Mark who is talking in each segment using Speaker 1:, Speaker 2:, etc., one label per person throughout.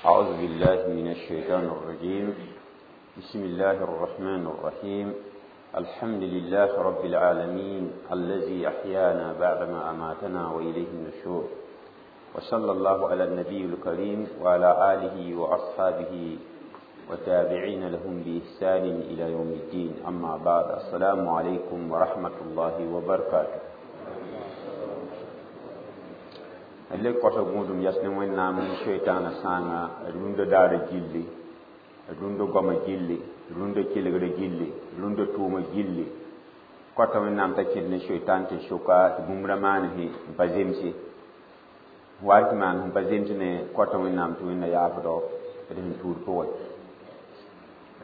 Speaker 1: أعوذ بالله من الشيطان الرجيم. بسم الله الرحمن الرحيم. الحمد لله رب العالمين الذي أحيانا بعدما أماتنا وإليه النشور، وصلى الله على النبي الكريم وعلى آله وأصحابه وتابعين لهم بإحسان إلى يوم الدين. أما بعد، السلام عليكم ورحمة الله وبركاته. Le kɔta gũudum yɛs ne Wẽnnaam ne Soitaanã sãanga rũndã daara gilli, rũndã goamã gilli, rũndã kelgrã gilli, rũndã tʋʋmã gilli. Kɔta Wẽnnaam t'a kẽd ne Soitaan tɩ soka tɩ bũmb ra maan sẽ n pa zemse wa tɩ maan sẽn pa zems me. Kɔta Wẽnnaam tɩ Wẽnna yaafdɔ d sẽn tuud pʋgẽ.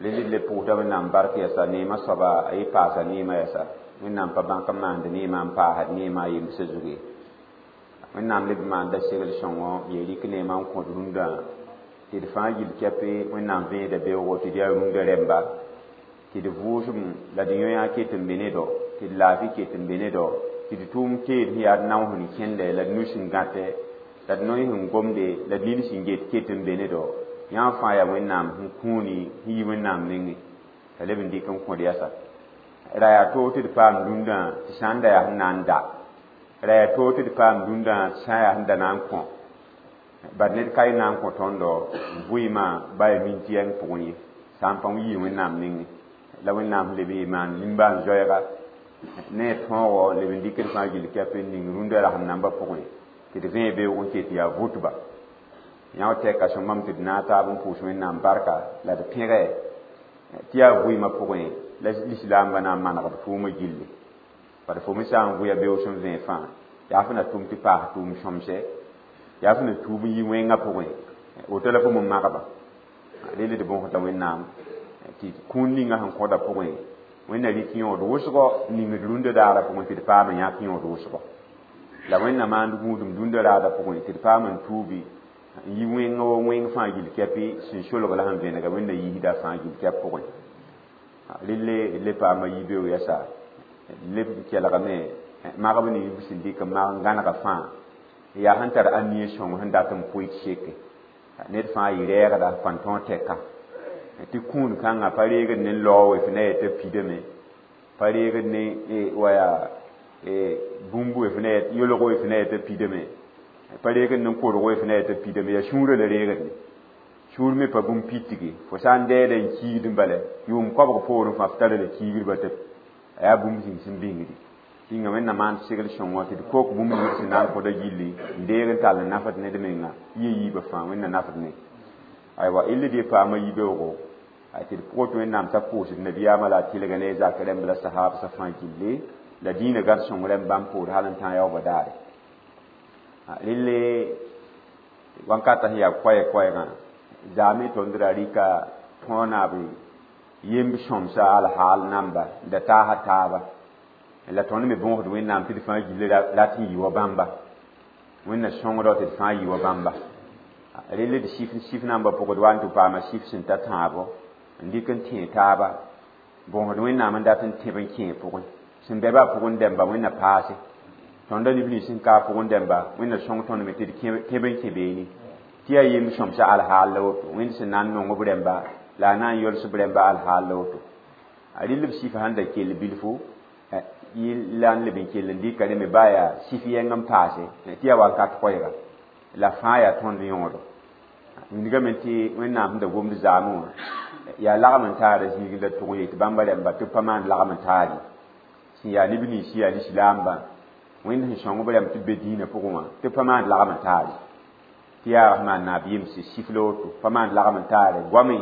Speaker 1: Rel d le pʋʋsda Wẽnnaam bark yɛsa neemã soaba a yɩ paasa neemã yɛsa. Wẽnnaam pa bãk n maand neemã n paasd neemã a yembsã zug ye. Wẽnnaam leb maanda segl sõngo ye rɩk neemã n kõt rũndã tɩ d fãa gill kɛpe. Wẽnnaam vẽeda beoogo tɩ d yaa rũndã rɛmba, tɩ d vʋʋsem la d yõ-yã ket n be ne dɔ, tɩ d laafɩ ket n be ne dɔ, tɩ d tʋʋm teed sẽn yaa d nao sẽn kẽndɛ la d nu sẽn gãtɛ la d noy sẽn gomde la d nini sẽn get ket n be ne dɔ. Yã fãa yaa Wẽnnaam sẽn kũuni sẽn yi Wẽnnaam nengẽ t'a leb n dɩk n kõd yɛsa. Ra yaa toog tɩ d paam rũndã tɩ sã n da yaa sẽn na n da, ra yaa toog tɩ d paam rũndã tɩ sã n yaa sẽn da na n kõ. Bad ned ka y na n kõ tõndo vɩɩmã ba yaa minti yɛng pʋgẽ ye, sã n pa yii Wẽnnaam nengẽ la Wẽnnaam sẽn leb n maan nimbãan-zoɛɛga ne a tõogo leb n dɩk d fãa gill kɛp n ning rũndã rasem nambã pʋgẽ tɩ d vẽe beoog n ket yaa vʋtba. Yã tɛka sõmam tɩ d naag taab n pʋʋs Wẽnnaam barka la d pẽgɛ tɩ yaa vɩɩmã pʋgẽ la lislaambã na n manegd tʋʋmã gilli. Bad fo me sã n vʋya beoog sẽn vẽe fãa, yaa fo na tʋm tɩ paas tʋʋm sõmsɛ, yaa fo na tuub n yi wẽngã pʋgẽ, woto la fo me magba. Rel d bõsda Wẽnnaam tɩ kũun ninga sẽn kõda pʋgẽ Wẽnna rɩk yõod wʋsgɔ ning d rũndã daarã pʋgẽ tɩ d paam n yãk yõod wʋsgɔ, la Wẽnna maand gũudum dũndã raadã pʋgẽ tɩ d paam n tuubi n yi wẽng wa wẽng fãa gill kɛpɩ sẽn solg la sẽn vẽnega Wẽnna yiisda fãa gill kɛp pʋgẽ. Relle le paama yi-beoog yɛsa leb kelgame magb ne yib sẽn dɩk n mag n gãnega fãa yaa sẽn tar anie sõng sẽn dat n pʋɩ tɩ seke ned fãa yɩ rɛɛgda pãn-tõog tɛka tɩ kũun kãngã pa reegd ne lao f na yetɩ pidame, pa reegd ne waya bũmb f na yolgo f na yetɩ pidame, pa reegd ne korgo f na yetɩ pidame. Yaa sũurã la reegd ne sũur me pa bũmb pitge. Fo sã n dɛɛda n kiigd n bala yʋʋm koabg poorẽ fãa f tara la kiigdba tɩ a yaa bũmb zĩng sẽn bĩngdi tɩnga. Wẽnna maan segl sõngɔ tɩ d kok bũmb ning sẽn na n kõda gilli n deeg n tall n nafd ned menga yɩ yiibã fãa Wẽnna nafd ne. Aywa, illa dee paama yi-beoogo tɩ d pʋgẽ tɩ Wẽnnaam t'a pʋʋsd nabiyaamã la a tɩlga ne a zak rẽmb la sahaabsã fãa gilli la dĩinã gãd sõng rẽmb bãmb poor hal n tã yaoobã daare. Relle wãnkata sẽn yaa koɛɛ-koɛɛgã zaame tõnd ra rɩka tõog naab yemb sõmsa alhaal namba da taasa taaba la tõnd me bõosd Wẽnnaam tɩ d fãa gilli rat n yɩ wa bãmba. Wẽnna sõngdɔ tɩ d fãa yɩ wa bãmba. Relle d sif nambã pʋgd wa n tɩ paama sif sẽn ta tãabo n dɩk n tẽe taaba bõosd Wẽnnaam n dat n tẽb n kẽe pʋgẽ sẽn bɛ baa pʋgẽ dɛmba Wẽnna paase tõnda neb nins sẽn ka pʋgẽ dɛmba. Wẽnna sõng tõnd me tɩ d tẽb n kẽ beene tɩ yaa yemb sõmsa alhaal la woto. Wẽnd sẽn na n nong b rẽmba la a na n yols b rẽmba alhaal la woto. A rɩl b sif sãn da kell bilfu la n leb n kell n dɩka rẽ me baa yaa sif yɛng n paase tɩ yaa wakat koɛɛga la fãa yaa tõnd yõodo. Wilgame tɩ Wẽnnaam sẽn da gomd zaamẽ wã yaa lagm n taara zĩig la tʋg n yetɩ bãmba rẽmba tɩ b pa maan lagm n taar ye sẽn yaa neb nins yaa lislaambã. Wẽnd sẽn sõng b rãmb tɩ b be dĩinã pʋgẽ wã tɩ b pa maan lagm n taar ye tɩ yaa maan naab yemse sif la woto pa maan lagm n taare goame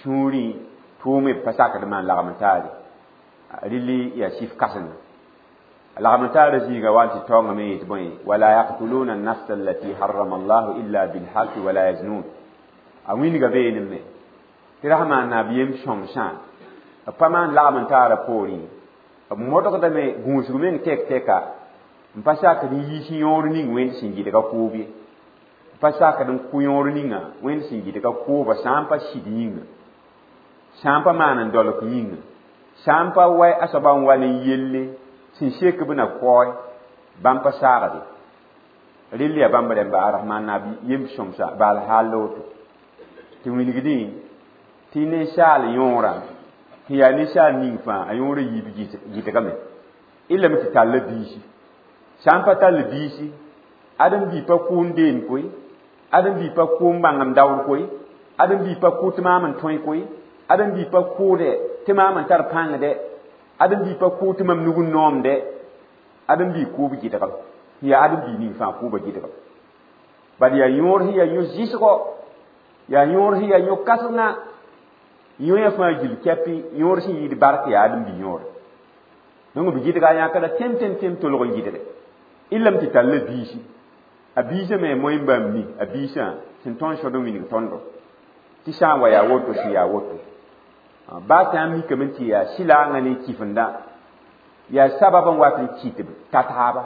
Speaker 1: sũurẽ tʋʋme b pa sakd maan lagm n taare. Rɩlli yaa sif kãsenga lagm n taara zĩiga wa n tɩ taoongame yetɩ bõe wala yaqtuluna an-nafsa allati harrama allahu illa bilhaqi wala yaznun. A wĩnga beenem me tɩ rasmaan naab yem sõmsã b pa maan lagm n taara poorẽ b modgdame gũusg meng tɛk tɛka n pa sakd n yiis yõor ning Wẽnd sẽn gɩdga koob ye, n pa sakd n kʋ yõor ninga Wẽnd sẽn gɩdga kooba sã n pa sɩd yĩnga, sã n pa maan n dolk yĩnga, sã n pa wa a soaba n wa ne yelle sẽn sek b na kaoe bãmb pa saagde. Rɩl yaa bãmb rẽmba a Rahmaan naab yem sõmsa baal haal la woto. Tɩ wilgdẽ tɩ ninsaal yõorã sẽn yaa ninsaal ning fãa a yõorã yiib gɩdgame y lame tɩ tall biisi sã n pa tall biisi ãdem-bi pa kʋʋn deem koe ãdem-bi pa kʋʋn bãngem daoor koe ãdem-bi pa kʋ tɩ maam n tõe koe ãdem-bi pa kʋʋdɛ tɩ maam n tar pãngdɛ ãdem-bi pa kʋʋ tɩ mam nug n noomdɛ ãdem-bi kʋʋb gɩdgem yaa ãdem-bi ning fãa kʋʋba gɩdgem bal yaa yõor sẽn yaa yõ-zɩsgɔ yaa yõor sẽn yaa yõ-kãsenga yõoyã fãa gill kɛpɩ yõor sẽn yɩɩd bark yaa ãdem-bi yõore donc b gɩdga yãkra tẽm tẽm tẽm tolg n gɩdge y lame tɩ tall biisi a biisã me moẽ bãmb mi a biisã sẽn tõnd sõd n wilg tõndo tɩ sã n wa yaa woto sẽn yaa woto baa sã n mikame tɩ yaa sɩlaangã ne kifenda yaa sabab n wat n kɩt b ta taaba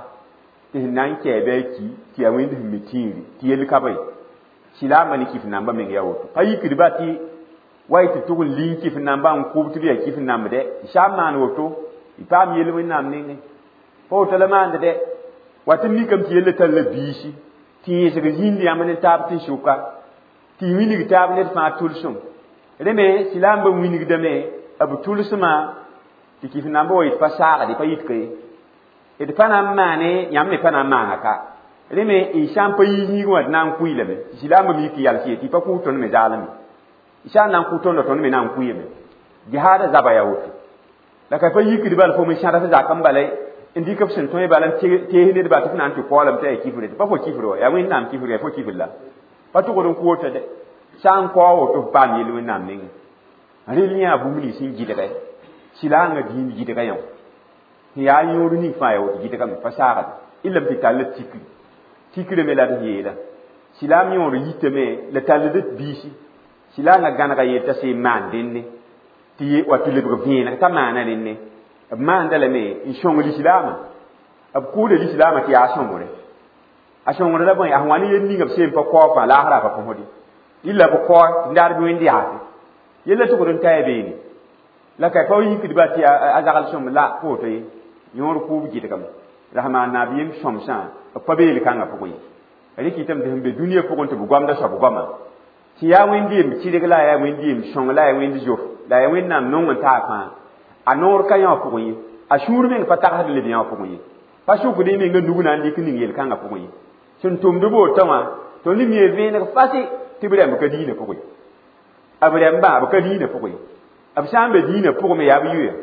Speaker 1: tɩ sẽn na n kɛɛ bɩ a ki tɩ yaa wẽnd sẽn mi tĩiri tɩ yell ka bõe sɩlaambã ne kif nambã meng yaa woto pa yikdba tɩ wa y tɩ tʋg n ling kif nambã n kʋb tɩ b yaa kif nambdɛ sã n maan woto y paam yell wẽnnaam nengẽ pa woto la maand dɛ wa tɩ mikame tɩ yella tall biisi tɩ yẽsg zĩnd yãmb ne taab tɩ sʋka tɩ wilg taab ned fãa tʋlsem rẽ me sɩlaambã wilgdame b tʋlsmã tɩ kif nambã wa yet pa saagd pa yit ka ye d pa na n maane yãmb me pa na n maana ka rẽ me y sã n pa yi yĩngẽ wã d na n kʋɩlame tɩ sɩlaambã mi yik yals ye tɩ y pa kʋʋs tõnd me zaalame y sã n na n kʋ tõndo tõnd me na n kʋɩyame jihaada zaba yaa woto la ka pa yikd bala fo me sãd f zak n bala n dɩk b sẽn tõe bala n tees nedba tɩ f na n tɩ kaoolame tɩ yaa kifre tɩ pa fo kifr wa yaa wẽnnaam kifr yaa fo kifr la pa tʋgd n kʋ woto dɛ sã n kao woto f paam yell wẽnnaam nengẽ rel yã bũmb nins sẽn gɩdgɛ sɩlaangã dĩin gɩdga yã sẽn yaa yõor ning fãa yaa woto gɩdgame pa saagd y lame tɩ tall tikri tikre me la d yeela sɩlaam yõor yitame la tallд biisi sɩlaangã gãnega yeel t'a sẽn maan dẽnne tɩ wa tɩ lebg vẽeneg t'a maana rẽnne b maanda lame n sõng lislaamã b kʋʋda lislaamã tɩ yaa sõngre a sõngre la bõe a sẽn wa ne yel ninga b seen pa kao fãa laasra pa põsde illa b kao tɩ ndaar bɩ wẽnd yaase yella tʋgd n taya beene la ka pa yikdba tɩ a zagl sõm la pa woto ye yõor kʋʋb gɩdgame la sẽn maan naab yem sõmsã b pa beel kãngã pʋgẽ ye rɩk yetame tɩ sẽn be dũniyã pʋgẽ tɩ b goamda soab goama tɩ yaa wẽnd-yem tɩrg la yaa wẽnd-yem sõng la yaa wẽnd zof la yaa wẽnnaam nong n taa fãa a noor ka yã pʋgẽ ye a sũur meng pa tagsd leb yã pʋgẽ ye pa sʋkd y menga nug na n dɩk ning yel-kãngã pʋgẽ ye sẽn tʋmd bootã wã tõnd mi vẽeneg fasɩ tɩ b rãmb ka diinã pʋgẽ b rãmbã b ka diinã pʋgẽ b sã n be diinã pʋgẽ me yaa b yʋya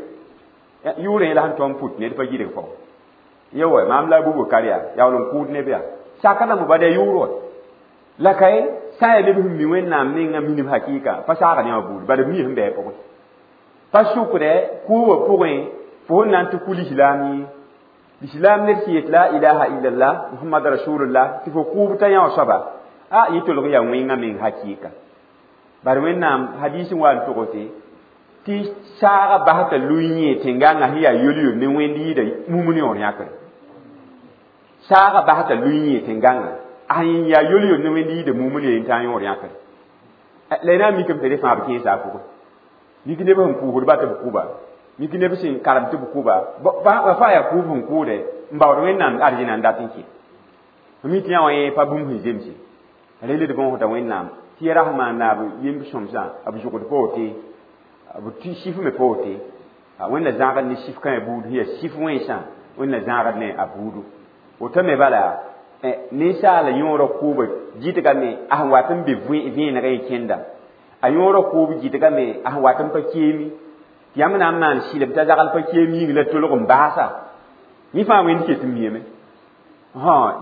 Speaker 1: yʋʋrẽ la sẽn tõnd put ned pa gɩdg pao ye wa maam la a Bubakar yaa yaool n kʋʋd neb yaa sakdame bad yaa yʋʋr wa la ka ye sã n yaa neb sẽn mi wẽnnaam nengã minim hakɩɩka pa saagd yã wã buud bad b mi sẽn bɩ a pʋgẽ pa sʋkdɛ kʋʋbã pʋgẽ fo sẽn na n tɩ kʋ lislaam ye lislaam ned sẽn yet la ilaha illallah muhammad rasulullah tɩ fo kʋʋb t'a yã wã soaba a yɩ tolg yaa wẽngã meng hakɩɩka bad wẽnnaam hadiis n wa n togse tɩ saaga bas t'a lui yẽ tẽngãngã sẽn yaa yol-yol ne wẽnd yɩɩda mumn yõor yãkre saaga bas t'a lui yẽ tẽngãngã a sẽn yaa yol-yol ne wẽnd yɩɩda mumn ye n tã yõor yãkre la y na n mikame tɩ rẽ fãa b kẽesa a pʋgẽ mik neb sẽn kʋʋsdba tɩ b kʋba mik neb sẽn karem tɩ b kʋba fãa yaa kʋʋb sẽn kʋʋdɛ n baood wẽnnaam arzẽna n dat n kẽ mi tɩ yã wã yẽ pa bũmb sẽn zemse rel d bõosda wẽnnaam tɩ ya rasma naab yemb sõmsã b zʋgd pa wote b tɩ sif me pa wote wẽnna zãagd ne sif kãe buud sẽn yaa sif wẽnsã wẽnna zãagd ne a buudu woto me bala ninsaala yõorã kʋʋba gɩdgame a sẽn wat n be vẽenegã y kẽnda a yõorã kʋʋb gɩdgame a sẽn wat n pa keemi tɩ yãmb na n maan sɩlem t'a zagl pa keem yĩng la tolg n baasa yẽ fãa wẽnd ket n miame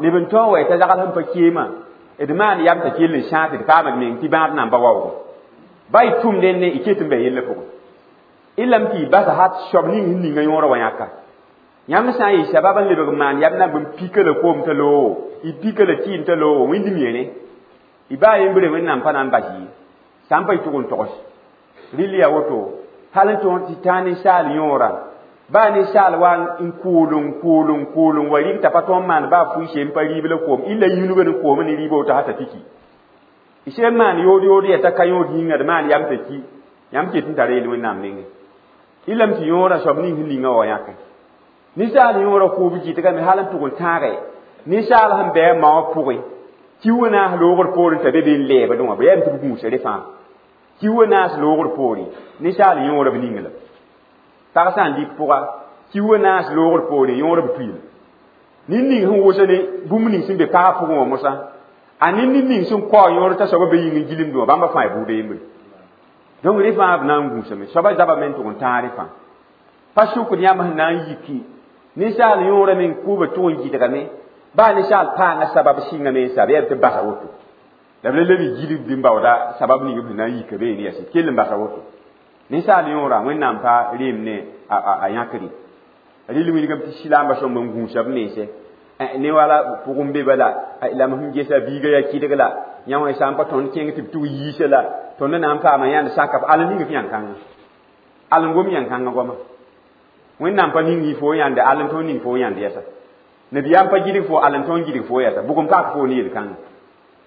Speaker 1: neb n tõog wa t'a zagl sẽn pa keemã d maan yam t'a kell n sãag tɩ d paamd meng tɩ bãad namba waoogo ba y tʋm dẽnne y ket n bɛ yellã pʋgẽ y lame tɩ y basa hat soab ning sẽn ninga yõorã wa yãka yãmb sã n yɩ sabab n lebg n maan yam namb n pika la koom t'a loogo y pika la tɩɩm t'a loogo wẽnd miere y baa yembre wẽnnaam pa na n bas ye sã n pa y tʋg n togs rɩl yaa woto hal n tõog tɩ tã ninsaal yõorã baa ninsaal wa n kʋʋl n kʋʋl n kʋʋl n wa rɩg t'a pa tõog n maan baa fʋɩ n pa rɩɩb la koom illa yũnugã ne koom ne rɩɩbã woto t'a piki y sẽn maan yood yood yaa t'a ka yõod yĩnga d maan yam t'a ki yãmb ket n tara yel wẽnnaam nengẽ y lame tɩ yõorã soab ning sẽn ninga wa yãke ninsaal yõorã kʋʋb gɩdgame hal n tʋg n tãage ninsaal sẽn bɩ a maoã pʋgẽ Kiu wã naas loogr poorẽ t'a be be n lɛɛbdẽ wã, bɩ yaa tɩ b gũusa re fãa. Kiu wã naas loogr poorẽ, ninsaal yõora b ning la. Pag sã n dɩk pʋga, kiu wã naas loogr poorẽ, yõora b tuyl. Ned ning sẽn wʋsd ne bũmb ning sẽn be pagã pʋgẽ wã mosã, a ned ning sẽn kao yõor t'a soabã be yĩng n gilemdẽ wã, bãmba fãa y buuda yembre. Donc rẽ fãa b na n gũusame. Soabã zabame n tʋg n tãag rẽ fãa. Pa sʋkd yãmb sẽn na n yiki ninsaal yõora meng kʋʋbã tʋg n gɩdgame, baa ninsaal paanga sabab sɩngame n sa, bɩ yaa tɩ basa woto. La b la leb gilgd n baooda sabab ning b sẽn na n yika beene yaa sɩd kell n basa woto. Ninsaal yõora Wẽnnaam pa reem ne a yãkre. Rɩl wilgame tɩ silaambã sõmb n gũusa b mense ne wala pʋgẽ be bala, la m sẽn gesa biiga yaa kɩdg la yã wã sã n pa tõnd kẽng tɩ b tʋg yiisa la tõnd na n paama yãnd saka al ning f yãn-kãngã, al n gom yãn-kãngã goama. Wẽnnaam pa ning fo yãnde, al n tõnd ning fo yãnd yɛsa. Nabiyaam pa gilg fo, al n tõnd gilg fo yɛsa. Bʋg n paak fo ne yel-kãngã.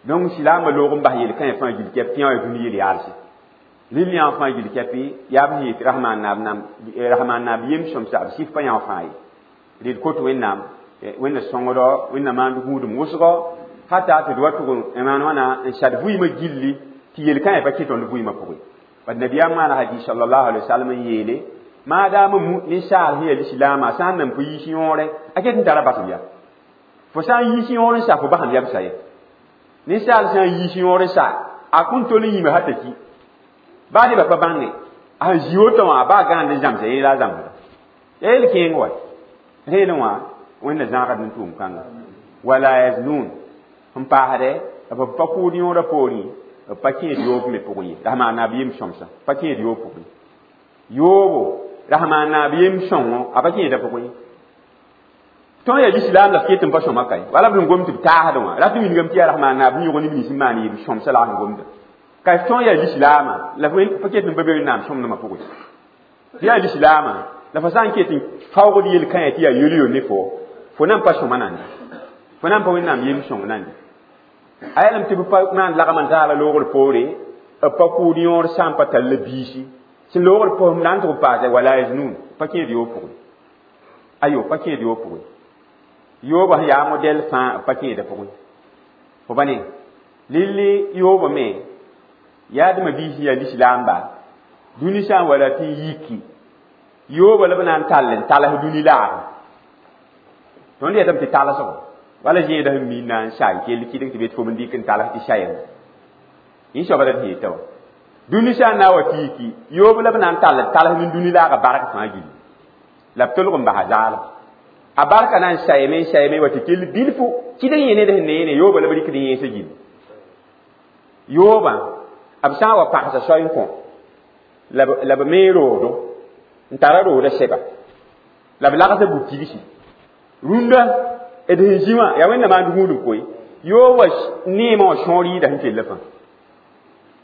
Speaker 1: Donc silaambã loog n bas yel-kãyã fãa gil kɛp tɩ yã dũni yel-yaalse. Rɩl yã fãa gil kɛpɩ yaa b sẽn yet Rahmaan naab yem sõmsa b sɩf pa yã fãa ye. Rɩd kot Wẽnnaam, Wẽnna sõngdɔ, Wẽnna maand gũudum wʋsgɔ, hata tɩ d wa tʋg n maan wãna n sad vɩɩmã gilli tɩ yel-kãyã pa kẽ tõnd vɩɩmã pʋgẽ. Bad nabiyaam maana hadis sallallahu alaihi wasallam n yeele, maadaam ninsaal sẽn yaa lislaamã sã n nan pa yiis yõore, a ket n tara basem ya. Fo sã n yiis yõor n sa, fo basem yamsa ye. Ninsaal sã n yiis yõor n sa, a kõn tol n yĩme hata ki. Baa nebã pa bãnge, a sẽn zĩ woto wã, a baa gãand n zãmsa yẽ la a zãmsda. Ya yel kẽeng wa. Reelẽ wã, Wẽnna zãagd n tʋʋm kãnga. Wala yaznun. Sẽn paasdɛ, b pa kʋʋd yõorã poorẽ, b pa kẽed yoob me pʋgẽ ye. Rasmaan naab yem sõmsã, pa kẽed yoob pʋgẽ. Yoobo, Rasmaan naab yem sõngo, a pa kẽeda pʋgẽ ye. Tõnd yaa lislaam la f ket n pa sõma kae. Wala b sẽn gom tɩ b taasdẽ wã, rat n wilgame tɩ yaa Rasmaan naab yõg neb nins n maan yem sõmsã la a sẽn gomda. Ka f tõnd yaa lislaamã, la f pa ket n pa be Wẽnnaam sõmdmã pʋgẽ. Tɩ yaa lislaamã, la fo sã n ket n faoogd yel-kãyã tɩ yaa yel-yo ne fo, fo nan pa sõma nande. Fo nan pa Wẽnnaam yem sõng nande. A yɛlem tɩ b pa maan lagm n taala loogr poore, b pa kʋʋd yõor sã n pa tall la biisi. Sẽn loogr pʋgẽ na n tʋg paase wala yaznun, pa kẽed yoob pʋgẽ. Ayo, pa kẽed yoob pʋgẽ. Yoobã sẽn yaa modɛl fãa, b pa kẽeda pʋgẽ. Fo ba ne, lilli yoobã me, yaa dẽma biis yaa lislaamba, dũni sã n wa rat n yiki, yoobã la b na n tall n tals dũni laagẽ. Tõnd yetame tɩ talsgo, wala zẽedã sẽn mi na n sa n kell kɩdg tɩ bet fo n dɩk n tals tɩ sayem. Yẽ soaba la d yeta wã. Dũni sã n na n wa tɩ yiki, yoob la b na n tall n tals ne dũni laagã bark fãa gilli. La b tolg n basa zaalem. A barka na n sayame n sayame wa tɩ kell bilfu, kɩdg yẽ ned sẽn ne yẽne, yoobã la b rɩkd yẽesã gilli. Yoobã, b sã n wa pagsa soay n kõ, la b mee roodo, n tara rooda sɛba, la b lagsa bu-tigsi. Rũndã, d sẽn zĩ wã, yaa Wẽnna maand gũudum koe, yoobã neemã wã sõor yɩɩda sẽn kell fãa.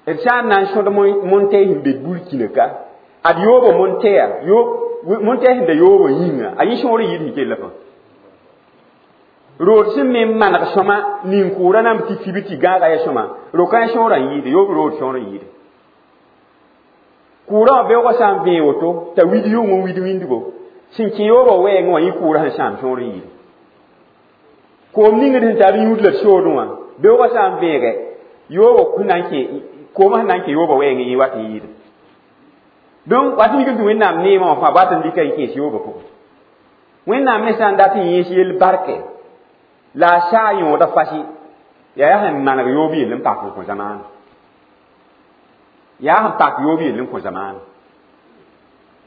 Speaker 1: D sã n na n sõd montɛɛ sẽn be Burkina ka, ad yoobã montɛɛa, montɛɛ sẽn da yoobã yĩnga, a yẽ sõor n yɩɩd sẽn kell fãa. Rood sẽn me n maneg sõma, nin-kʋʋrã nan tɩ fib tɩ gãaga ya sõma, ro-kãens sõorã n yɩɩde, yoob rood sõor n yɩɩde. Kʋʋrã wã beoogã sã n vẽe woto, t'a wid yʋng n wid wĩndgo, sẽn kẽ yoobã wɛɛngẽ wã yẽ kʋʋrã sẽn sãam sõor n yɩɩde. Koom ning d sẽn tar yũud la d soodẽ wã, beoogã sã n vẽege, yoobã sẽn na n kẽ, koomã sẽn na n kẽ yoobã wɛɛngẽ yẽ wat n yɩɩde. Donc, wat n yik tɩ Wẽnnaam neemã wã fãa wat n dɩka n kẽes yoobã pʋgẽ. Wẽnnaam me sã n dat n yẽes yell barkɛ, la a saa yõoda fasɩ, yaa sẽn maneg yoob yell n pak n kõ zamaana. Yaa sẽn pak yoob yell n kõ zamaana.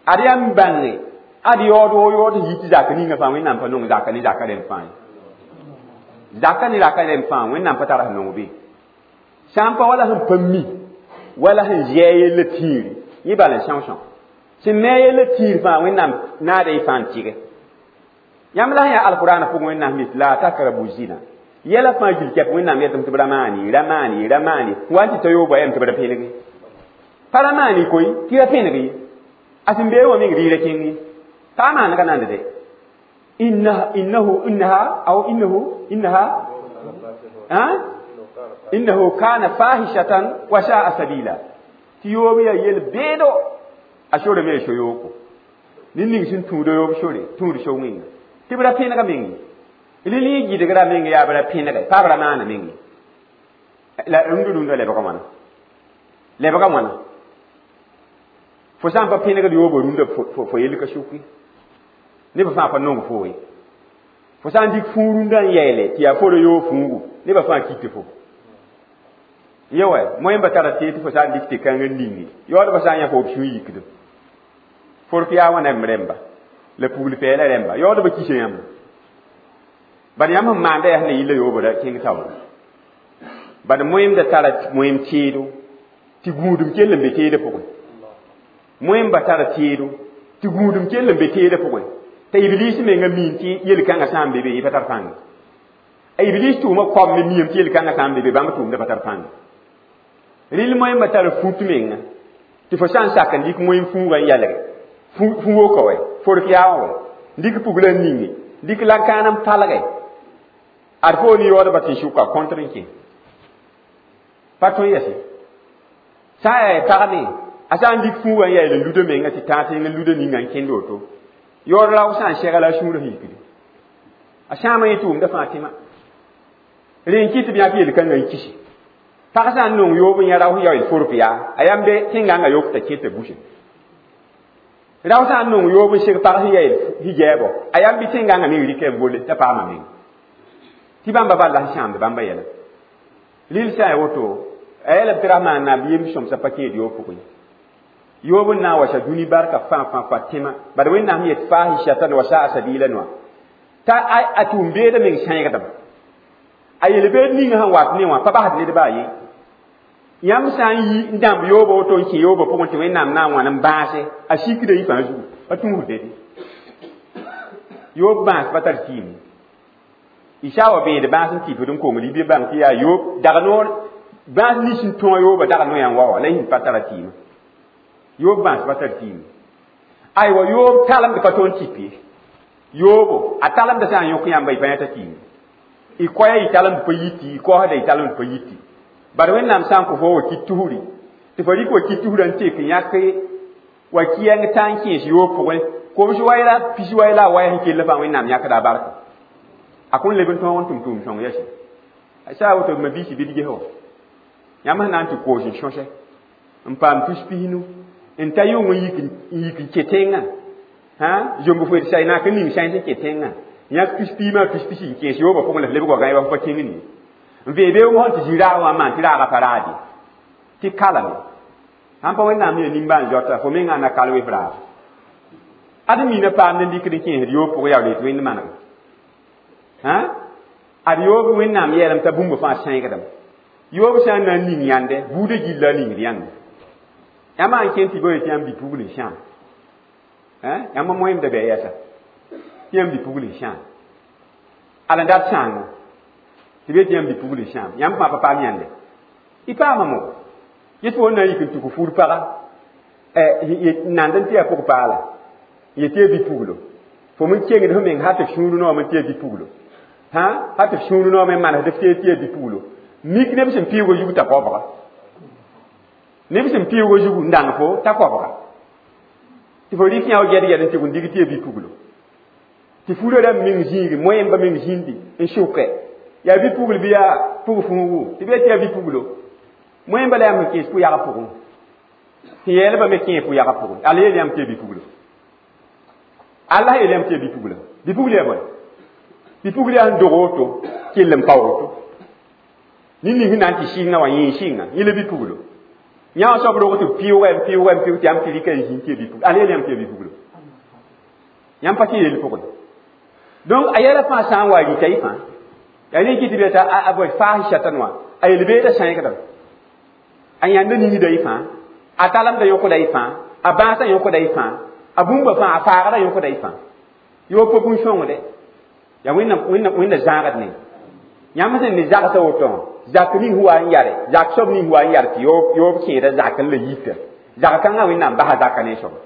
Speaker 1: Ad yaa n bãnge, ad yaood woo yaood sẽn yi tɩ zaka ninga fãa Wẽnnaam pa nong zaka ne zaka rẽmb fãa ye. Zaka ne zaka rẽmb fãa Wẽnnaam pa tara sẽn nong be. Sã n pa wala sẽn pa mi, wala sẽn zɛɛ yella tĩiri, yẽ bala n são-são. Sẽn me a yella tĩir fãa Wẽnnaam naada y fãa n tɩge. Yãmb la sẽn yaa alqur'ana pʋgẽ Wẽnnaam yet la takrabu zina. Yɛla fãa gil kɛp Wẽnnaam yetame tɩ b ra maani, ra maani, ra maani, wa n tɩ ta yoobã yam tɩ b ra pẽneg ye. Pa ra maani koe, tɩ ra pẽneg ye. A sẽn beẽ wã meng rɩɩra kẽng ye. Pa maanega nand de. Innaha, innahu, innaha, aw innahu, innaha, ha? Innahu kana fahishatan wa sa'a sabila. Tɩ yoob yaa yel beedo, a sore me so yooko. Ned ning sẽn tũud yoob sore, tũud so-wẽnga. Tɩ b ra pẽnega meng ye. Rɩl yẽ gɩdgra meng yaa b ra pẽnege, pa b ra maana meng ye. La rũndã lebga wãna lebga wãna fo sã n pa pẽnegd yoobã rũndã fo yell ka sʋk ye nebã fãa pa nong fo ye fo sã n dɩk fũu rũndã n yɛɛle tɩ yaa fo ra yoog fũugu nebã fãa kɩtɩ fo ye wɛ moẽmba tara tee tɩ fo sã n dɩk tɩ-kãng n ningi yaoodbã sã n yã fo b sũur yikdem fork yaa wãna m rẽmba la pugl pɛɛla rẽmba yaoodbã kisa yãmb bad yãmb sẽn maanda yaa sẽn na yilla yoobã ra kẽng taoore bad moẽmda tara moẽm teedo tɩ gũudum kell n be teedã pʋgẽ moẽmba tara teedo tɩ gũudum kell n be teedã pʋgẽ t'a iblis menga miin tɩ yel-kãngã sã n be be yẽ pa tar pãnga a iblis tʋʋma koam me miame tɩ yel-kãngã sã n be be bãmb tʋʋmda pa tar pãnga rɩl moẽmba tara fut menga tɩ fo sã n sak n dɩk moẽm fũugã n yalge fũ-wokã wɛ fork yaa wã wɛ dɩk pugla n ninge dɩk la-kãan n palge ad fo ne yaoodbã tɩ sʋka kõntr n kẽ pa tõe yɛse sã n yaa pag me a sã n dɩk fũugã n yael n luda menga tɩ tãag tẽng n luda ninga n kẽnd woto yaood rao sã n sɛga la a sũurã yikde a sãama yẽ tʋʋmda fãa tẽma rẽ n kɩt tɩ b yãk yel-kãngã n kisi pag sã n nong yoob n yã rao sẽn yaool fork yaa a yãmb be tẽngãngã yok t'a kẽ t'a buse rao sã n nong yoob n seg pag sẽn yael hijaabɔ a yãmb bɩ tẽngãngã meng rɩkɛ n bole t'a paama meng tɩ bãmba bal la sẽn sãamd bãmba yɛla rɩl sã n ya woto a yɛla b tɩ ra maan naab yem sõmsã pa kẽed yoob pʋgẽ yoob n na n wasa dũni barka fãa fãa fãa tẽma bad wẽnnaam yet fahishatan wa saa sabila noa t'a a tʋʋm beedã meng sãegdem a yel-beed ninga sẽn wat ne wã pa basd ned baa ye yãmb sã n yi n dãmb yoobã woto n kẽ yoobã pʋgẽ tɩ wẽnnaam na n wãn n bãase a sikda yɩ fãa zugu pa tũusd dede yoob bãas pa tar tɩɩm y sã wa bẽed bãas n tɩpd n kongd y bɩ bãng tɩ yaa yoob dag noor bãas nins n tõog yoobã dag noyã n wa wa la y sẽn pa tara tɩɩmã yoob bãas pa tar tɩɩm aywa yoob talemd pa tõnd tɩp ye yoobo a talemda sã n yõk yãmba y pa yãta tɩɩm y koɛɛ y talemd pa yiti y koasda y talemd pa yiti bad wẽnnaam sã n kõ fo wa kit tusri tɩ fo rɩk wa kit tusrã n tek n yãk wa kɩɛng tã n kẽes yoob pʋgẽ kobs wayla pis wayla a waya sẽn kell fãa wẽnnaam yãkda a barka a kõn leb n tõog n tʋm tʋʋm sõng yɛsẽ a saa woto ma biisi bɩ d ges wa yãmb sẽn na n tɩ koos n sõsɛ n paam tus pisnu n ta yʋng n yik n kẽ tẽngã zomb foet say naak n ning sãens n kẽ tẽngã yãk tus piimã tus pisi n kẽes yoobã pʋgẽ la f lebg wa gãe wa f pa kẽng nie n vee beoong sẽn tɩ zĩ raag wã n maan tɩ raagã pa raade tɩ kalame sãn pa wẽnnaam yaa nimbãan zoata fo mengã na kal wef raag ad mina paamd n dɩkd n kẽesd yoob pʋgẽ yaool yetɩ wẽnd manega ad yoob wẽnnaam yɛɛlem t'a bũmb fãa sãegdame yoob sã n na n ning yãnde buudã gilla a ningd yãnde yãmb n kẽnd tɩ bo yetɩ yãmb bi-pugl n sãam yãmb moẽmda bɩ yɛsa tɩ yãmb bi-pugl n sãam ala n dat sãango tɩ be tɩ yãmb bi-pugl n sãam yãmb fãa pa paam yãnde y paama mo yet fo na n yik n tʋk fur paga nand n tɩ yaa pʋg-paala yetɩ yaa bi-puglo fo m kengd f meng hal tɩ f sũur noom n tɩ yaa bi-puglo hal tɩ f sũur noom n manesd f tɩ yaa bi-puglo mik neb sẽn pɩʋʋgã zug t'a koabga neb sẽn pɩʋʋgã zug n dãng fo t'a koabga tɩ fo rɩk yã wa gɛd gɛd n tɩg n dig tɩ yaa bi-puglo tɩ furã rãmb meng zĩigi moẽmba meng zĩndi n sʋke yaa bi-pugl bɩ yaa pʋg fũugu tɩ bɩ tɩ yaa bi-puglo moẽmba la yãmb sẽn kẽes pʋ-yagã pʋgẽ tɩ yɛɛlbã me kẽe pʋ-yagã pʋgẽ alla yeel yãmb tɩ yaa bi-puglo Allah yeel yãmb tɩ yaa bi-puglo bi-pugl yaa bõe bi-pugl yaa sẽn dog woto kell n pa woto ned ning sẽn na n tɩ sɩngã wã yẽ sɩnga yẽ la bi-puglo yã wã soab rog tɩ pɩʋʋga n pɩʋʋga n pɩʋʋg tɩ yãmb tɩ rɩka n zĩnd tɩ yaa bi-puglo alla yeel yãmb tɩ yaa bi-puglo yãmb pa tɩ yeel pʋgẽ donc a yɛla fãa sã n wa rɩta y fãa yaa ne kɩ tɩ bɩ t'a a bõe fahishatan wã a yel-beedã sãegdame a yãnda ningda y fãa a talemda yõkda y fãa a bãasã yõkda y fãa a bũmba fãa a faagdã yõkda y fãa yoob pa bũn-sõngde yaa wẽnna zãagd ne yãmb sẽn ne zagsã woto wã zak ning sẽn wa n yare zak soab ning sẽn wa n yar tɩ yoob kẽeda zak n la yita zag-kãngã wẽnnaam basa zaka ne soaba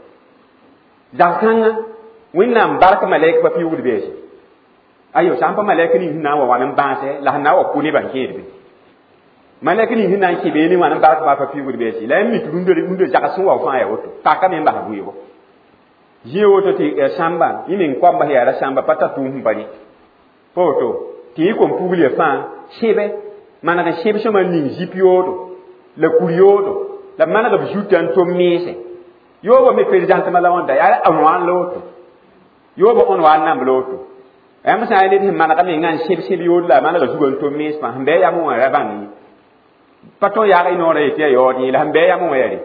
Speaker 1: zag-kãngã wẽnnaam bark malɛk pa pɩʋʋgd beese ayo sã n pa malɛk ning sẽn na n wa wãn n bãase la sẽn na n wa kʋ nebã n kẽed be malɛk ning sẽn na n kẽ beene wãn n bark baa pa pɩʋʋgd beese la yãmb mik rũndã zags sẽn wa fãa yaa woto paka me n bas vɩɩgo zĩig woto tɩ sãmba yẽ meng koamba sẽn yaa ra sãmba pa tar tʋʋm sẽn pa rɩ pa woto tɩ yẽ kom pugl ya fãa sẽbe Maneg n sẽb sõma ning zip yoodo la kur yoodo la maneg b zuta n tom meese yoobã me perezãntmã la wãnda yaa n la woto yoobã õn wa n namb la woto yãmb sã n yaa ned sẽn manega mengã n sẽb sẽb yood la a manega zugã n tom mees fãa sẽn bɩ a yam wã ra bãng ye pa tõe n yaag y noorã yetɩ yaa yaood yẽ la sẽn bɩ a yam wã yaa re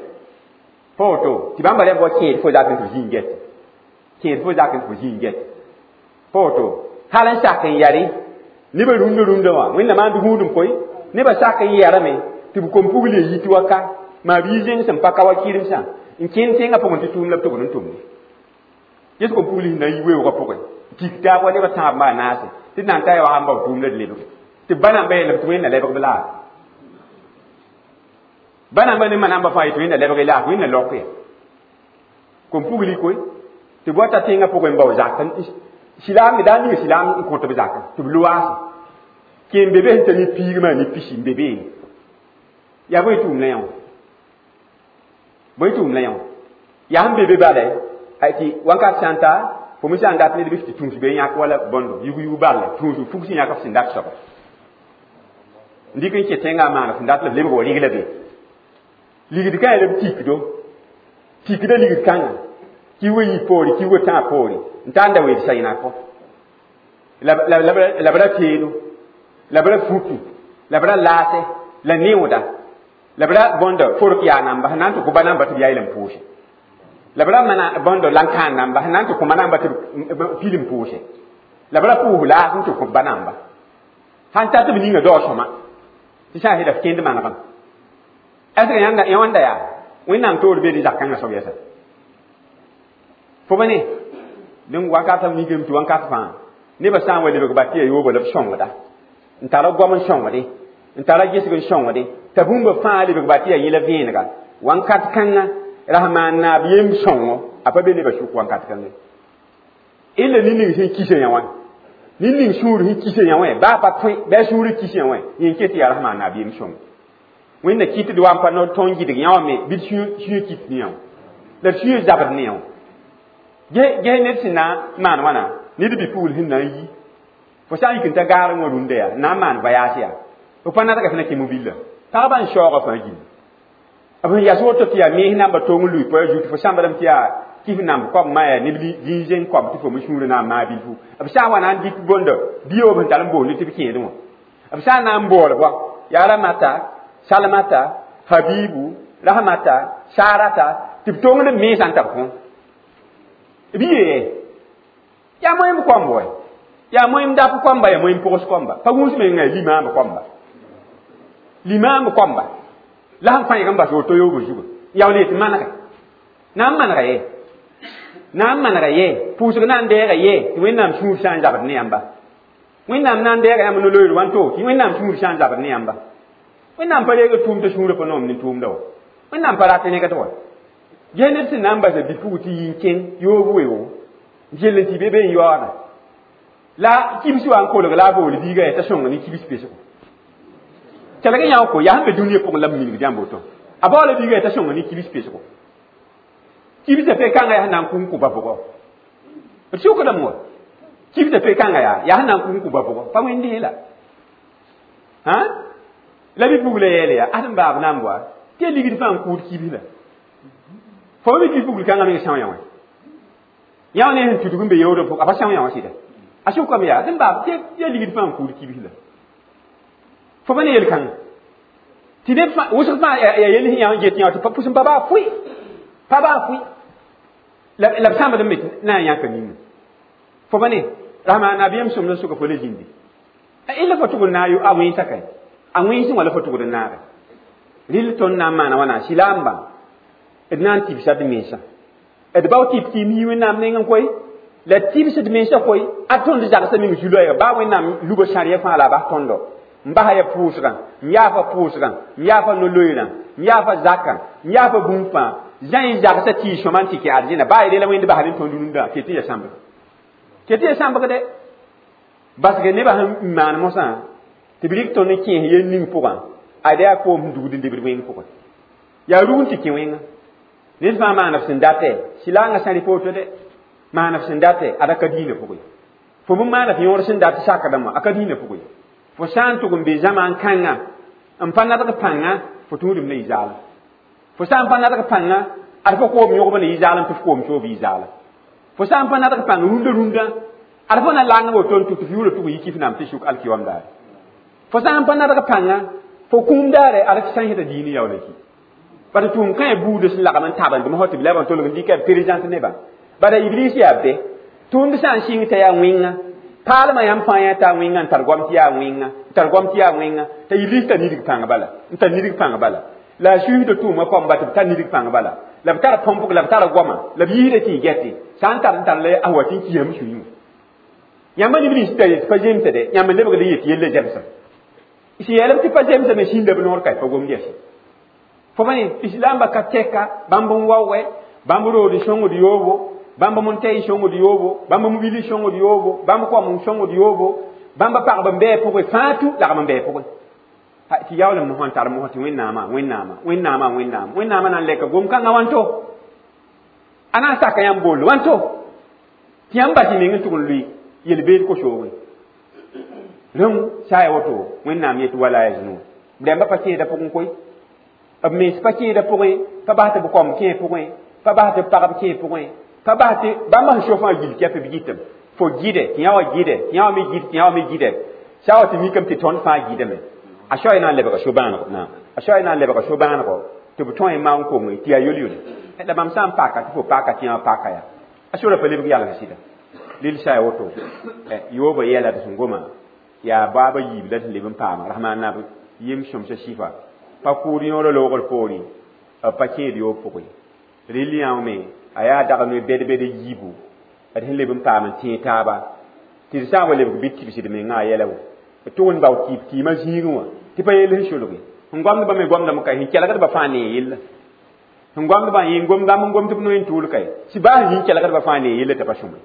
Speaker 1: pa woto tɩ bãmba rẽmb wa kẽed fo zak n tɩ b zĩig get kẽed fo zak n tɩ b zĩig get pa woto hal n sak n yare nebã rũndã rũndã wã wẽnnaam maan gũudum koe nebã sak n yarame tɩ b kom-pugl ye yit wa ka maa bii zẽng sẽn pa ka wa kɩremsã n kẽnd tẽngã pʋgẽ tɩ tʋʋm la b tʋgd n tʋmde ges kom-pugl sẽn na n yi weoogã pʋgẽ tik taab wa nebã tãab maa naase tɩ d na n ta ya wa n bao tʋʋm la d lebge tɩ b ba namba yeelame tɩ wẽnna lebg b laag ba namba ne ma namba fãa yetɩ wẽnna lebg y laag wẽnna lok ya kom-pugli koe tɩ b wa ta tẽngã pʋgẽ n bao zak silaam me daa ninga silaam n kõt b zakã tɩ b loaase kẽem be be sẽn ta ne piigmã ne pisi n be beene yaa bõe tʋʋm la yã wã bõe tʋʋm la yã wã yaa sẽn be be bala tɩ wãnkat sã n ta fo me sã n dat ned bɩ tɩ tũus be yãk wala bõndo yug-yug balla tũus fug sẽn yãk f sẽn dat soaba n dɩk n kẽ tẽngã n maan sẽn dat la b lebg wa rigla be ligd kã yaa la b tikdo tikda ligd kãngã kiuga yi poore kiuga tãag poore n tar n da weed saɩnakɔ la b ra teedo la b ra fuki la b ra laase la neooda la b ra bõndo fork yaa namba sẽn na n tɩ kõ ba namba tɩ b yaa yel n pʋʋse la b ra mana bõndo lan-kãan namba sẽn na n tɩ kõ ba namba tɩ b pil n pʋʋse la b ra pʋʋs laas n tɩ kõ ba namba sãn tar tɩ b ninga dao sõma tɩ sã n sɩda f kẽnd manegem est ce que yãmb wãnda yaa wẽnnaam toor be ne zak-kãngã soab yɛsa fo ba ne dẽn wakat b nigame tɩ wãnkat fãa nebã sã n wa lebg ba tɩ yaa yooba la b sõngda n tara goam n sõngde n tara gesg n sõngde t'a bũmba fãa lebg ba tɩ yaa yẽla vẽenega wãnkat kãngã rasmaan naab yem sõngo a pa be nebã sʋk wãnkat kãngã illa nin-ning sẽn kisa yã wã nin-ning sũur sẽn kisa yã wã baa pa tõe bɩ a sũurã kis yã wã yẽ ket tɩ yaa rasmaan naab yem sõngo wẽnna kɩtd wa n pa no tõnd gɩdg yã wã me bɩ d sũyã kit ne yã wã la d sũyã zabd ne yã wã ges ned sẽn na n maan wãna ned bi-pugl sẽn na n yi fo sã n yik n ta gaar wã rũndã yaa na n maan voyage yaa f pa nadga sẽn na kẽ mobila pagba n shaooga fãa gilli b sẽn yas woto tɩ yaa mees namba tong n lui poa zugu tɩ fo sãmbdame tɩ yaa kɩf namb koab ma yaa neb zĩig koab tɩ fo me sũurã na n maa bilfu b sã n wa na n dɩk bõndo bioob sẽn tar n boonde tɩ b kẽedẽ wã b sã n na n bool bɔ yaa Ramata Salamata Habibu Rahmata Sarata tɩ b tongd b meesã n tab kõ b yee yaa moẽmb koamb wa yaa moẽmb dap koamba yaa moẽmb pʋgs koamba pa gũus menga limaamb koamba limaamb koamba la sẽn fãeg n bas woto yoogo zugu yaool yetɩ manega na n manega ye na n manega ye pʋʋsg na n deega ye tɩ wẽnnaam sũur sã n zabd ne yãmba wẽnnaam na n deega yãmb no-loeer wãnto tɩ wẽnnaam sũur sã n zabd ne yãmba wẽnnaam pa reeg tʋʋm tɩ sũurã pa noom ne tʋʋmda wa wẽnnaam pa rat negd wa ges ned sẽn na n basa bi-pug tɩ yi n kẽng yoog weoogo n kell n tɩ be be n yaooda la kibs wa n kolg la a bool biiga yaa t'a sõng ne kibs pesgo kelg yã ko yaa sẽn be dũniyã pʋgẽ la b minigd yãmb woto a baoola biiga yaa t'a sõng ne kibs pesgo kibsã pe-kãngã yaa sẽn na n kʋ n kʋ ba bʋgɔ d sʋkdame wa kibsã pe-kãngã yaa yaa sẽn na n kʋ n kʋ ba bʋgɔ pa wẽnd la la bi-pugla yeele yaa ad n baab namb wa tɩ ya ligd fãa n kʋʋd kibs la fo mi bi-pugl kãngã meng são yã wã yã wã ne sẽn tudg n be yaoodã pʋgẽ a pa são yã wã sɩda a sʋkame yaa d n baab tɩ ya ligd fãa n kʋʋd kibs la fo pa ne yel-kãngã tɩ neb wʋsg fãa yaa yel sẽn yã n get yã tɩ pʋs n pa baa fʋɩ pa baa fʋɩ la b sãmbd n me na n yãka ninga fo pa ne rasma nabiyam sõmd n sʋka fo la zĩndi illa fo tʋgd na a wẽnsa ka a wẽnsẽ wã la fo tʋgd n naage rɩl tõnd na n maana wãna silaambã d na n tibsa d mensã d bao tɩp tɩ mi wẽnnaam nengẽ koe la tibsd mensã koe a tõnd zagsã meng zu-loɛɛga baa wẽnnaam luba sãrya fãa la a bas tõndo n basa ya pʋʋsgã n yaafa pʋʋsgã n yaafa no-loeerã n yaafa zakã n yaafa bũmb fãa zãe zagsã tɩ y sõma n tɩ kɛ arzẽna baa y la wẽnd basd n tõnd rũndã ket tɩ ya sãmbg ket tɩ ya sãmbg dɛ basge nebã sẽn maan mosã tɩ b rɩk tõnd n kẽes yel ning pʋgã ad yaa koom sẽn dugd n debd wẽng pʋgẽ yaa rug n tɩ kẽ wẽnga ned fãa maan f sẽn datɛ sɩlaangã sã rɩ woto dɛ maan f sẽn datɛ ad a ka diinã pʋgẽ fo bõn maan f yõor sẽn dat sakdame a ka diinã pʋgẽ Fo sã n tʋg n be zãmaan kãngã n pa nadg pãnga, fo tũudem la yɩ zaalem. Fo sã n pa nadg pãnga, ad fo koom yõgb ne yɩ zaalem tɩ f koom soog yɩ zaalem. Fo sã n pa nadg pãng rũndã rũndã, ad fo na lang woto n tʋ tɩ f yʋʋra tʋg n yi kif nam tɩ sʋk alkiyom daare. Fo sã n pa nadg pãnga, fo kũum daare ad f sã n diini yaool n ki. Bara tʋʋm kã buudã sẽn lagm n tabendme fo tɩ b lɛb n tolg n dɩka b présente nebã. Bara iblis yaa be tʋʋmd sã n sɩng t'a yaa wẽnga, paalmã yãmb fãa yã t'a wẽnga n tar goam tɩ yaa wẽnga, n tar goam tɩ yaa wẽnga, t'a iblis tar nidg pãng bala, n tar nidg pãng bala. La a suisda tʋʋmã kɔmba tɩ b tar nidg pãng bala, la b tar põmpg, la b tar goama, la b yiisda tɩ y gɛte sã n tar n tar la a wa tɩ n kiisame sũyẽ wã. Yãmba neb nins t'a yet pa zemsde, yãmb n lebgd n yet yella zemsem. Sẽn yeelb tɩ pa zemsame sĩnda b noor ka pa gomd yaa sɩ. Fo pa ne islamba ka tɛka bãmb n wao wɛ, bãmb rood n sõngd yoobo, bãmb mun-tɛy n sõngd yoobo, bãmb mobili n sõngd yoobo, bãmb koam n sõngd yoobo, bãmb pagb n bɩ pʋgẽ fãa tũ lagm n bɩ pʋgẽ. Tɩ yaoolem mosã n tar mosã tɩ Wẽnnaamã, Wẽnnaamã, Wẽnnaamã, Wẽnnaam, Wẽnnaamã na n lɛka gom-kãngã wãnto. A na n saka yãmb bool wãnto. Tɩ yãmb bas y meng n tʋg n lʋɩ yel-beed ko-soogẽ. Rẽng sã ya woto, Wẽnnaam yet wala yaznun. B rãmbã pa kẽeda pʋgẽ koe. B mens pa kẽeda pʋgẽ, pa bas tɩ b koam kẽ pʋgẽ, pa bas tɩ b pagb kẽ pʋgẽ, pa bas tɩ bãmb sẽn so fãa gil kɛp b gɩtame. Fo gɩdɛ, tɩ yã wã gɩdɛ, tɩ yã wã me gɩd, tɩ yã wã me gɩdɛ. Sã wa tɩ mikame tɩ tõnd fãa gɩdame. A soa na n lebga so-bãanego, naam. A soa na n lebga so-bãanego tɩ b tõe n maan konge tɩ yaa yol-yole. La bãmb sã n paka tɩ fo paka tɩ yã wã paka yaa. A sora pa lebg yalg sɩda. Lel sã ya woto, yoobã yɛla tɩ sẽn goma yaa baaba yiib la sẽn leb n paama rasmaan naab yem sõmsa sɩfa. Pa kʋʋd yõorã loogr poorẽ, b pa kẽed yoob pʋgẽ. Rel yã me a yaa dag ne bɛd-bɛd yiibu d sẽn leb n paam n tẽeg taaba tɩ d sã n wa lebg bɩ tibsd mengã a yɛla wã. B tʋg n bao tɩɩb kɩɩmã zĩigẽ wã tɩ pa yell sẽn solge. Sẽn goamdbã me goamdame ka, sẽn kelgdbã fãa nee yella. Sẽn goamdbã yẽ bãmb n gom tɩ b noe n tʋʋl kae, sɩ baa sẽn yĩn kelgdbã fãa nee yella t'a pa sõme.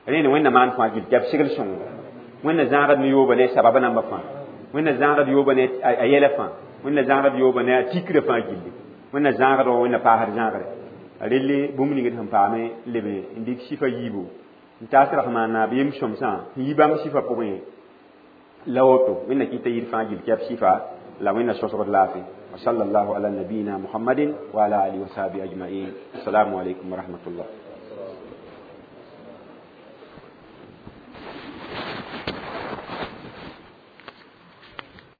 Speaker 1: Rẽnd Wẽnna maan fãa gil tɩ b segl sõngo. Wẽnna zãagd ne yoobã ne sabab nambã fãa. Wẽnna zãagd yoobã ne a yɛla fãa. Wẽnna zãagd yoobã ne a tikrã fãa gilli. Wẽnna zãagd wã Wẽnna paasd zãagre. Relle bũmb ning d sẽn paame leb n dɩk sɩfa yiibu n taas rasmaan naab yem sõmsã n yi bãmb sɩfa pʋgẽ la woto Wẽnna kɩta yir fãa gil kɛb sɩfa la Wẽnna sõsgd laafɩ. Wa sallallahu ala nabiyina Muhammadin wa ala alihi wa sahbihi ajma'in. Assalamu alaikum wa rahmatullah.